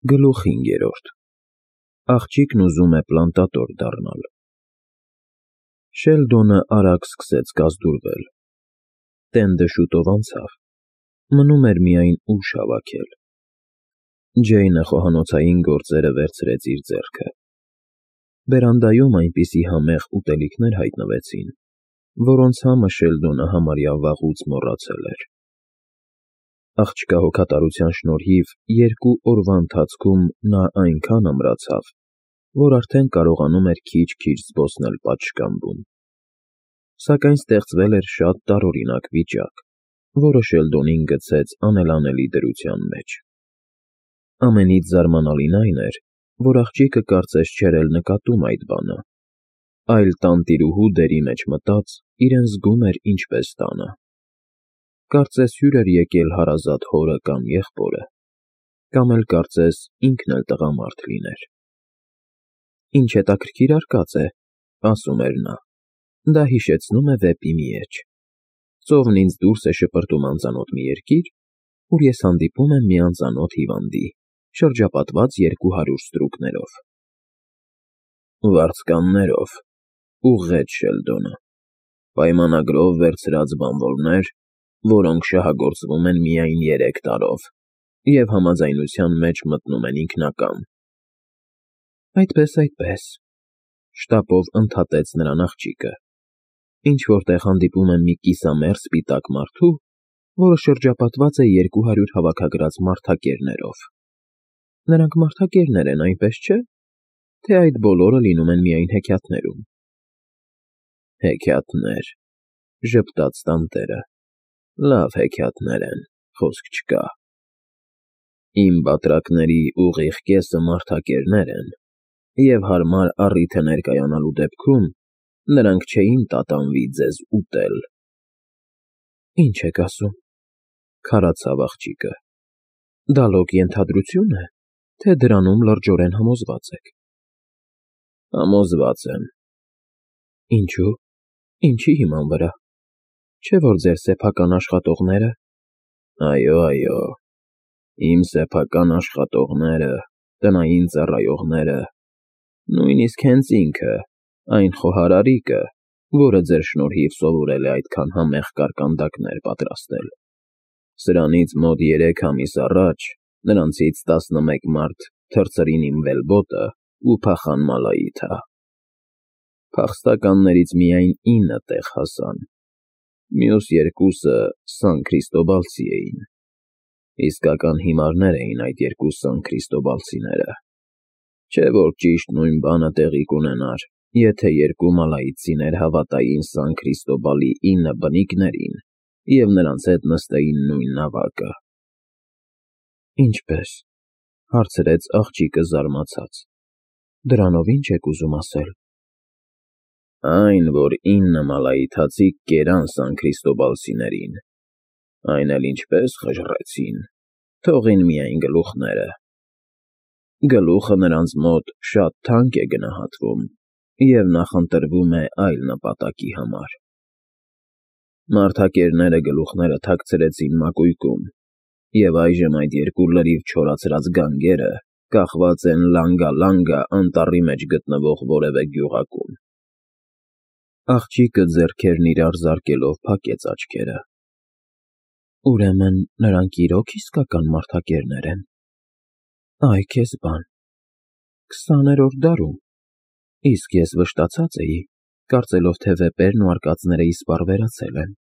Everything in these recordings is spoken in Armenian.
Գլուխ 5. Աղջիկն ուզում է պլանտատոր դառնալ։ Շելդոնը արագ սկսեց կազդուրվել։ Տենդը շուտով անցավ, մնում էր միայն ուժ հավաքել։ Ջեյնը խոհանոցային գործերը վերցրեց իր ձեռքը։ Բերանդայում այնպիսի համեղ ուտելիքներ հայտնվեցին, որոնց համը Շելդոնը համարյա վաղուց մոռացել էր։ Աղջկա հոգատարության շնորհիվ 2 օրվա ընթացքում նա այնքան ամրացավ, որ արդեն կարողանում էր քիչ-քիչ զբոսնել պատշգամբում։ Սակայն ստեղծվել էր շատ տարօրինակ վիճակ, որը Շելդոնին գցեց անելանելի դրության մեջ։ Ամենից զարմանալին այն էր, որ աղջիկը կարծես չէր էլ նկատում այդ բանը, այլ տանտիրուհու դերի մեջ մտած իրեն զգում էր ինչպես տանը։ Կարծես հյուր էր եկել հարազատ հորը կամ եղբորը, կամ էլ կարծես ինքն էլ տղամարդ լիներ։ «Ինչ հետաքրքիր արկած է,» ասում էր նա, «դա հիշեցնում է վեպի մի էջ։ Ծովն ինձ դուրս է շպրտում անծանոթ մի երկիր, ուր ես հանդիպում եմ մի անծանոթ հիվանդի, շրջապատված 200 ստրուկներով»։ «Վարձկաններով,» ուղղեց Շելդոնը, «պայմանագրով վերցրած բանվորներ, որոնք շահագործվում են միայն 3 տարով և համաձայնության մեջ մտնում են ինքնակամ»։ Այդպես, շտապով ընդհատեց նրան աղջիկը, ինչ֊որ տեղ հանդիպում եմ մի կիսամերձ սպիտակ մարդու, որը շրջապատված է 200 հավաքագրած մարդակերներով։ Նրանք մարդակերներ են, այնպես չէ՞, թե այդ բոլորը լինում են միայն հեքիաթներում։ Հեքիաթներ,֊ ժպտաց տանտերը, լավ հեքիաթներ են, խոսք չկա։ Իմ բատրակների ուղիղ կեսը մարդակերներ են, և հարմար առիթ է ներկայանալու դեպքում նրանք չէին տատանվի ձեզ ուտել։ Ինչ եք ասում,֊ քարացավ աղջիկը, դա լոկ ենթադրություն է, թե դրանում լրջորեն համոզված եք։ Համոզված եմ։ Ինչու՞, ինչի հիման վրա։ Չէ՞ որ ձեր սեփական աշխատողները… Այո, իմ սեփական աշխատողները, տնային ծառայողները, նույնիսկ հենց ինքը, այն խոհարարիկը, որը ձեր շնորհիվ սովորել է այդքան համեղ կարկանդակներ պատրաստել, սրանից մոտ 3 ամիս առաջ նրանցից 11 մարդ թռցրին իմ վելբոտը ու փախան Մալայիթա։ Փախստականներից միայն 9 տեղ հասան, մյուս 2-ը Սան Քրիստոբալցի էին։ Իսկական հիմարներ էին այդ 2 Սան Քրիստոբալցիները։ Չէ՞ որ ճիշտ նույն բանը տեղի կունենար, եթե 2 մալայիցիներ հավատային Սան Քրիստոբալի 9 բնիկներին և նրանց հետ նստեին նույն նավակը։ Ինչպե՞ս,֊ հարցրեց աղջիկը զարմացած, դրանով ի՞նչ եք ուզում ասել։ Այն, որ 9 մալայիթացիք կերան Սան Քրիստոբալցիներին, այն էլ ինչպես խժռեցին, թողին միայն գլուխները։ Գլուխը նրանց մոտ շատ թանկ է գնահատվում և նախընտրվում է այլ նպատակի համար։ Մարդակերները գլուխները թաքցրեցին մակույկում, և այժմ այդ 2 լրիվ չորացրած գանգերը կախված են Լանգա անտառի մեջ գտնվող որևէ գյուղակում։ Աղջիկը ձեռքերն իրար զարկելով փակեց աչքերը։ Ուրեմն նրանք իրոք իսկական մարդակերներ են։ Այ քեզ բան, 20-րդ դարում, իսկ ես վշտացած էի, կարծելով, թե վեպերն ու արկածները իսպառ վերացել են։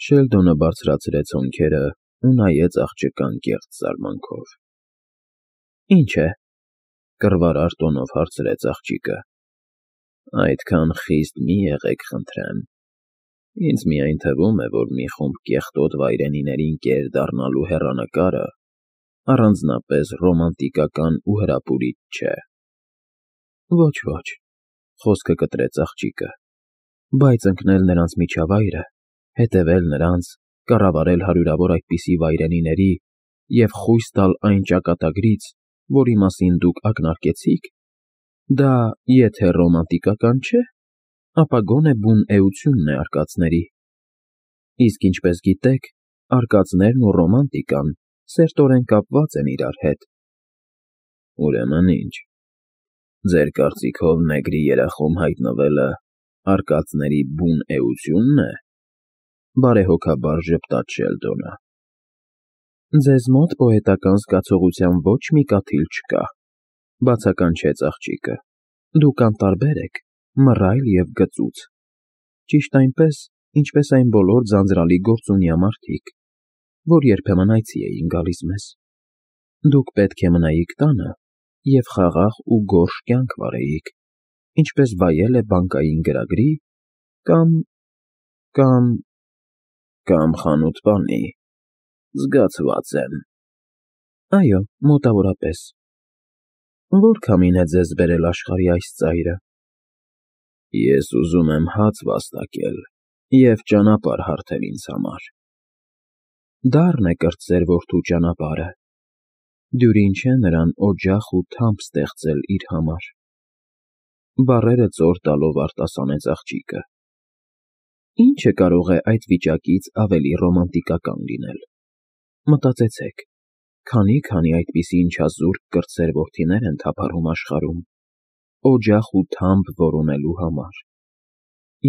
Շելդոնը բարձրացրեց հոնքերը ու նայեց աղջկան կեղծ զարմանքով։ Ինչ է,֊ կռվարար տոնով հարցրեց աղջիկը։ Այդքան խիստ մի եղեք, խնդրեմ։ Ինձ միայն թվում է, որ մի խումբ կեղտոտ վայրենիներին կեր դառնալու հեռանկարը առանձնապես ռոմանտիկական ու հրապուրիչ չէ։ Ոչ,֊ խոսքը կտրեց աղջիկը, բայց ընկնել նրանց միջավայրը, հետևել նրանց, կառավարել հարյուրավոր այդպիսի վայրենիների և խույս տալ այն ճակատագրից, որի մասին դուք ակնարկեցիք, դա եթե ռոմանտիկական չէ, ապա գոնե բուն էությունն է արկածների։ Իսկ ինչպես գիտեք, արկածներն ու ռոմանտիկան սերտորեն կապված են իրար հետ Ուրեմն ինչ։ Ձեր կարծիքով նեգրի երախում հայտնվելը արկածների բուն էությունն է։ Բարեհոգաբար ժպտաց Շելդոնը։ Ձեզ մոտ պոետական զգացողության ոչ մի կաթիլ չկա, բացականչեց աղջիկը։ Դուք անտարբեր եք, մռայլ և գծուծ։ Ճիշտ այնպես, ինչպես այն բոլոր ձանձրալի գործունյա մարդիկ, որ երբեմն այցի էին գալիս մեզ։ Դուք պետք է մնայիք տանը և խաղաղ ու գորշ կյանք վարեիք, ինչպես վայել է բանկային գրագրի կամ խանութպանի, զգացված եմ։ Այո, մոտավորապես։ Որ քամին է ձեզ բերել աշխարհի այս ծայրը։ Ես ուզում եմ հաց վաստակել և ճանապարհ հարթել ինձ համար։ Դառն է կրտսեր որդու ճանապարհը։ Դյուրին չէ նրան օջախ ու թամփ ստեղծել իր համար։ Բառերը ծոր տալով արտասանեց աղջիկը։ Ինչը կարող է այդ վիճակից ավելի ռոմանտիկական լինել։ Մտածեցեք, քանի այդպիսի ինչազուրկ կրտսեր որդիներ են թափառում աշխարհում, օջախ ու թամփ որոնելու համար,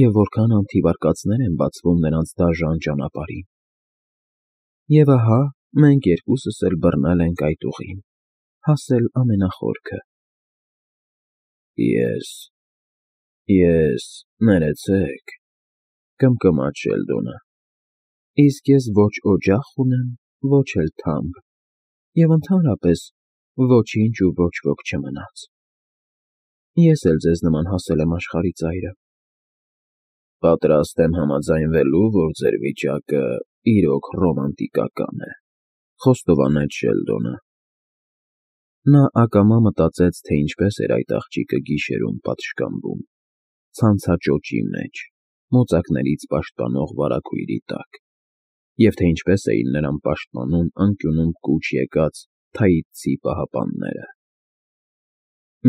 և որքան անթիվ են բացվում նրանց դաժան ճանապարհին։ Եվ ահա մենք երկուսս էլ բռնել ենք այդ ուղին, հասել ամենախորքը։ Ես, ներեցեք, կմկմաց Շելդոնը, իսկ ես ոչ օջախ ունեմ, ոչ էլ թամփ, և ընդհանրապես ոչինչ ու ոչ ոք չմնաց։ Ես էլ ձեզ նման հասել եմ աշխարհի ծայրը։ Պատրաստ եմ համաձայնվելու, որ ձեր վիճակը իրոք ռոմանտիկական է, խոստովանեց Շելդոնը։ Նա ակամա մտածեց, թե ինչպես էր այդ աղջիկը գիշերում պատշգամբում, ցանցաճոճի մեջ, մոծակներից պաշտպանող վարագույրի տակ, և թե ինչպես էին նրան պաշտպանում անկյունում կուչ եկած թաիցցի պահապանները։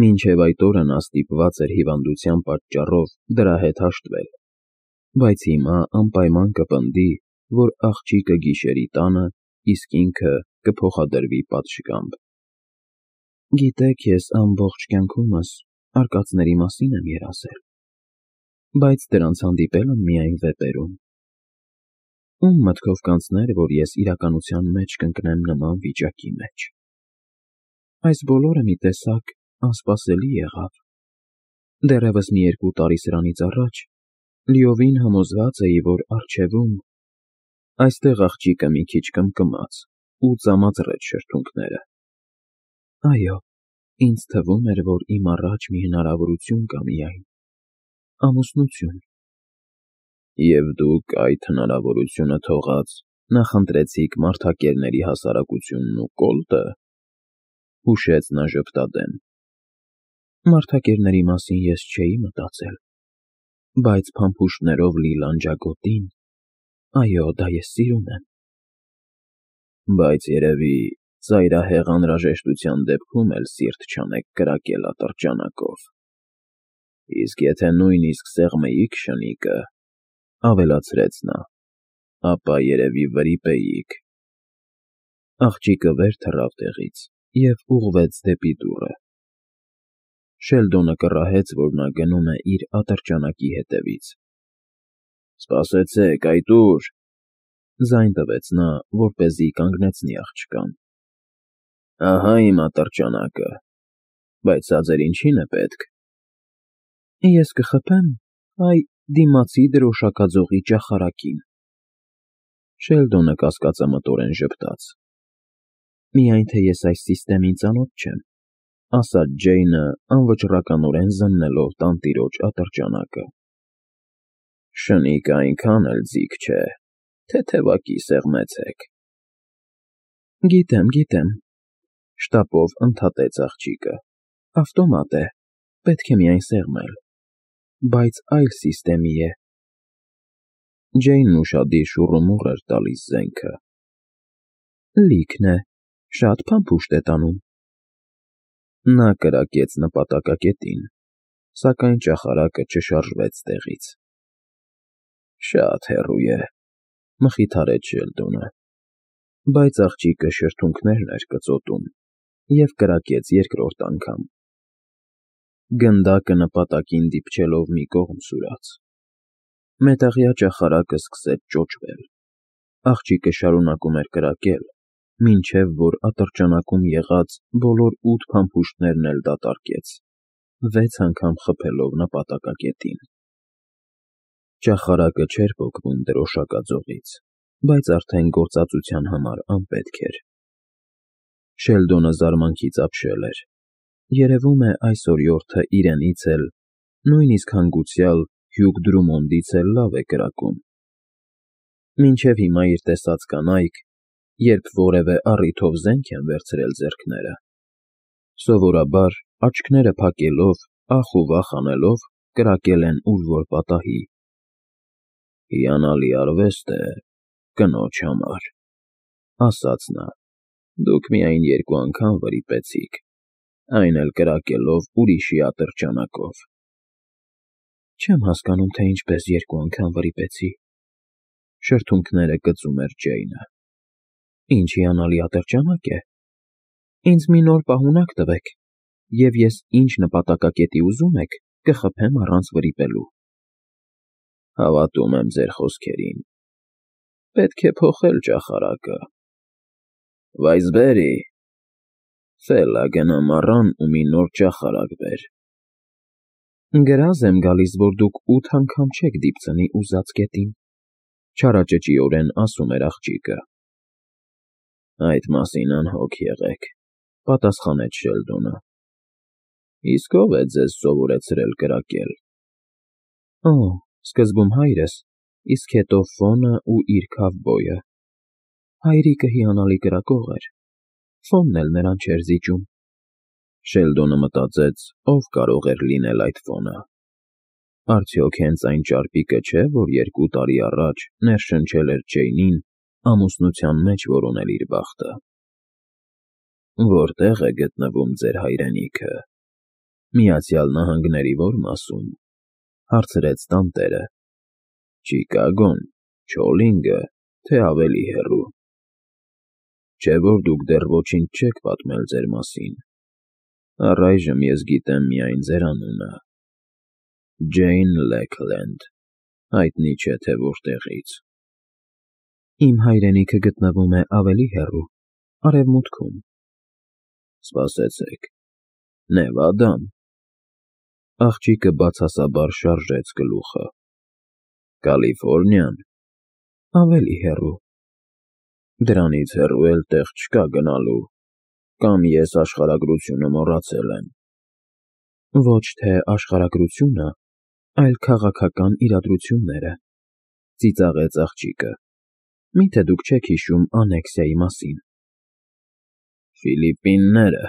Մինչև այդ օրը նա ստիպված էր հիվանդության պատճառով դրա հետ հաշտվել, բայց հիմա անպայման կպնդի, որ աղջիկը գիշերի տանը, իսկ ինքը կփոխադրվի պատշգամբ։ Գիտեք, ես ամբողջ կյանքումս արկածների մասին եմ երազել, բայց դրանց հանդիպել եմ միայն վեպերում։ Ում մտքով կանցներ, որ ես իրականության մեջ կընկնեմ նման վիճակի մեջ։ Այս բոլորը մի տեսակ անսպասելի եղավ։ Դեռևս մի 2 տարի սրանից առաջ լիովին համոզված էի, որ առջևում… Այստեղ աղջիկը մի քիչ կմկմաց ու ծամացրեց շրթունքները։ Այո, ինձ թվում էր, որ իմ առաջ մի հնարավորություն կա միայն… ամուսնություն։ Եվ դուք այդ հնարավորությունը թողած նախընտրեցիք մարդակերների հասարակությունն ու կոլտը, հուշեց նա ժպտադեմ։ Մարդակերների մասին ես չէի մտածել, բայց փամփուշտներով լի լանջագոտին… Այո, դա ես սիրում եմ։ Բայց երևի ծայրահեղ անհրաժեշտության դեպքում էլ սիրտ չանեք կրակել ատրճանակով։ Իսկ եթե նույնիսկ սեղմեիք շնիկը, ավելացրեց նա, ապա երևի վրիպեիք։ Աղջիկը վեր թռավ տեղից և ուղղվեց դեպի դուռը։ Շելդոնը կռահեց, որ նա գնում է իր ատրճանակի հետևից։ Սպասեցեք, այդ ուր… Ձայն տվեց նա, որպեսզի կանգնեցնի աղջկան։ Ահա իմ ատրճանակը, բայց սա ձեր ինչի՞ն է պետք։ Ես կխփեմ այ դիմացի դրոշակաձողի ճախարակին։ Շելդոնը կասկածամտորեն ժպտաց։ Միայն թե ես այս սիստեմին ծանոթ չեմ, ասաց Ջեյնը անվճռականորեն զննելով տանտիրոջ ատրճանակը։ Շնիկը այնքան էլ ձիգ չէ, թեթևակի սեղմեցեք։ Գիտեմ, շտապով ընդհատեց աղջիկը։ Ավտոմատ է, պետք է միայն սեղմել, բայց այլ սիստեմի է։ Ջեյնն ուշադիր շուռումուռ էր տալիս զենքը։ Լիքն է, շատ փամփուշտ է տանում։ Նա կրակեց նպատակակետին, սակայն ճախարակը չշարժվեց տեղից։ Շատ հեռու է, մխիթարեց Շելդոնը, բայց աղջիկը շրթունքներն էր կծոտում, և կրակեց երկրորդ անգամ։ Գնդակը նպատակին դիպչելով մի կողմ սուրաց։ Մետաղյա ճախարակը սկսեց ճոճվել։ Աղջիկը շարունակում էր կրակել, մինչև որ ատրճանակում եղած բոլոր 8 փամփուշտներն էլ դատարկեց, 6 անգամ խփելով նպատակակետին։ Ճախարակը չէր պոկվում դրոշակաձողից, բայց արդեն գործածության համար անպետք էր։ Շելդոնը զարմանքից ապշել էր։ Երևում է այս օրիորդը իրենից էլ, նույնիսկ հանգուցյալ Հյուգ Դրումոնդից էլ լավ է կրակում։ Մինչև հիմա իր տեսած կանայք, երբ որևէ առիթով զենք են վերցրել ձեռքները, սովորաբար աչքները փակելով, ախ ու վախ անելով, կրակել են ուր որ պատահի։ «Հիանալի արվեստ է, կնոջ համար», ասաց նա, «դուք միայն 2 անգամ վրիպեցիք, այն էլ կրակելով ուրիշի ատրճանակով»։ Չեմ հասկանում, թե ինչպես 2 անգամ վրիպեցի, շրթունքները կծում էր Ջեյնը։ Ինչ հիանալի ատրճանակ է։ Ինձ մի նոր պահունակ տվեք, և ես ինչ նպատակակետի ուզում եք, կխփեմ առանց վրիպելու։ Հավատում եմ ձեր խոսքերին։ Պետք է փոխել ճախարակը։ Վայզբերի, Ֆելա, գնա մառան ու մի նոր ճախարակ բեր։ Գրազ եմ գալիս, որ դուք 8 անգամ չեք դիպցնի ուզած կետին, չարաճճիորեն ասում էր աղջիկը։ Այդ մասին անհոգ եղեք, պատասխանեց Շելդոնը։ Իսկ ով է ձեզ սովորեցրել կրակել։ Սկզբում հայրս, իսկ հետո Ֆոնը ու իր քավբոյը։ Հայրիկը հիանալի կրակող էր, Ֆոնն էլ նրան չէր զիջում։ Շելդոնը մտածեց, ով կարող էր լինել այդ Ֆոնը։ Արդյոք հենց այն ճարպիկը չէ, որ 2 տարի առաջ ներշնչել էր Ջեյնին ամուսնության մեջ որոնել իր բախտը։ Որտե՞ղ է գտնվում ձեր հայրենիքը։ Միացյալ Նահանգների ո՞ր մասում, հարցրեց տանտերը։ Չիկագոն, Չոլինգը, թե ավելի հեռու։ Չէ որ դուք դեռ ոչինչ չեք պատմել ձեր մասին։ Առայժմ ես գիտեմ միայն ձեր անունը։ Ջեյն Լեքլենդ, հայտնի չէ թե որտեղից։ Իմ հայրենիքը գտնվում է ավելի հեռու, արևմուտքում։ Սպասեցեք, Նևադան։ Աղջիկը բացասաբար շարժեց գլուխը։ Կալիֆոռնիան։ Ավելի հեռու։ Դրանից հեռու էլ տեղ չկա գնալու, կամ ես աշխարհագրությունը մոռացել եմ։ Ոչ թե աշխարհագրությունը, այլ քաղաքական իրադրությունները, ծիծաղեց աղջիկը։ Միթե դուք չեք հիշում անեքսիայի մասին։ Ֆիլիպինները,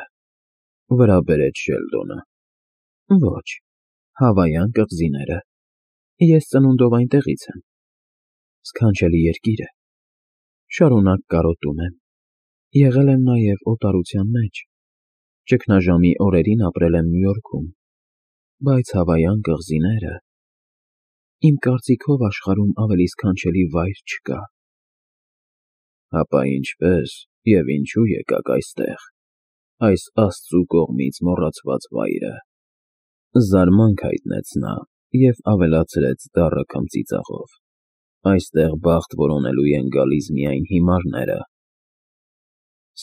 վրա բերեց Շելդոնը։ Ոչ, Հավայան կղզիները։ Ես ծնունդով այնտեղից եմ։ Սքանչելի երկիր է։ Շարունակ կարոտում եմ։ Եղել եմ նաև օտարության մեջ։ Ճգնաժամի օրերին ապրել եմ Նյու Յորքում, բայց Հավայան կղզիները… Իմ կարծիքով աշխարհում ավելի սքանչելի վայր չկա։ Հապա ինչպես և ինչու եկաք այստեղ, այս Աստծու կողմից մոռացված վայրը։ Զարմանք հայտնեց նա և ավելացրեց դառը քմծիծաղով։ Այստեղ բախտ որոնելու են գալիս միայն հիմարները։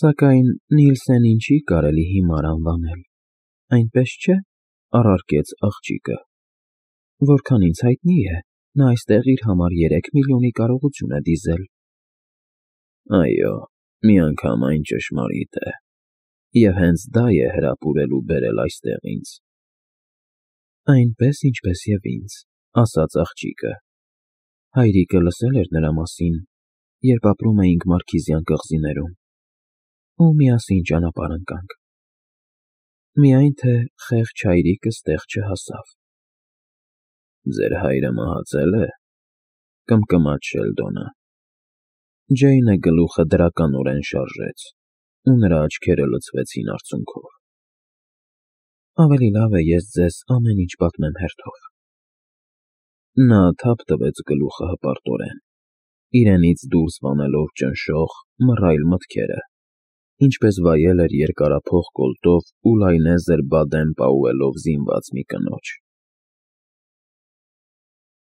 Սակայն Նիլսենին չի կարելի հիմար անվանել, այնպես չէ, առարկեց աղջիկը։ Որքան ինձ հայտնի է, նա այստեղ իր համար 3 միլիոնի կարողություն է դիզել։ Այո, միանգամայն ճշմարիտ է։ Եվ հենց դա է հրապուրել ու բերել այստեղ ինձ։ Այնպես, ինչպես և ինձ, ասաց աղջիկը։ Հայրիկը լսել էր նրա մասին, երբ ապրում էինք Մարքիզյան կղզիներում, ու միասին ճանապարհ ընկանք։ Միայն թե խեղճ հայրիկս տեղ չհասավ։ Ձեր հայրը մահացել է, կմկմաց Շելդոնը։ Ջեյնը գլուխը դրականորեն շարժեց, ու նրա աչքերը լցվեցին արցունքով։ Ավելի լավ է ես ձեզ ամեն ինչ պատմեմ հերթով։ Նա թափ տվեց գլուխը հպարտորեն, իրենից դուրս վանելով ճնշող, մռայլ մտքերը, ինչպես վայել էր երկարափող կոլտով ու լայնեզր բադեն պաուելով զինված մի կնոջ։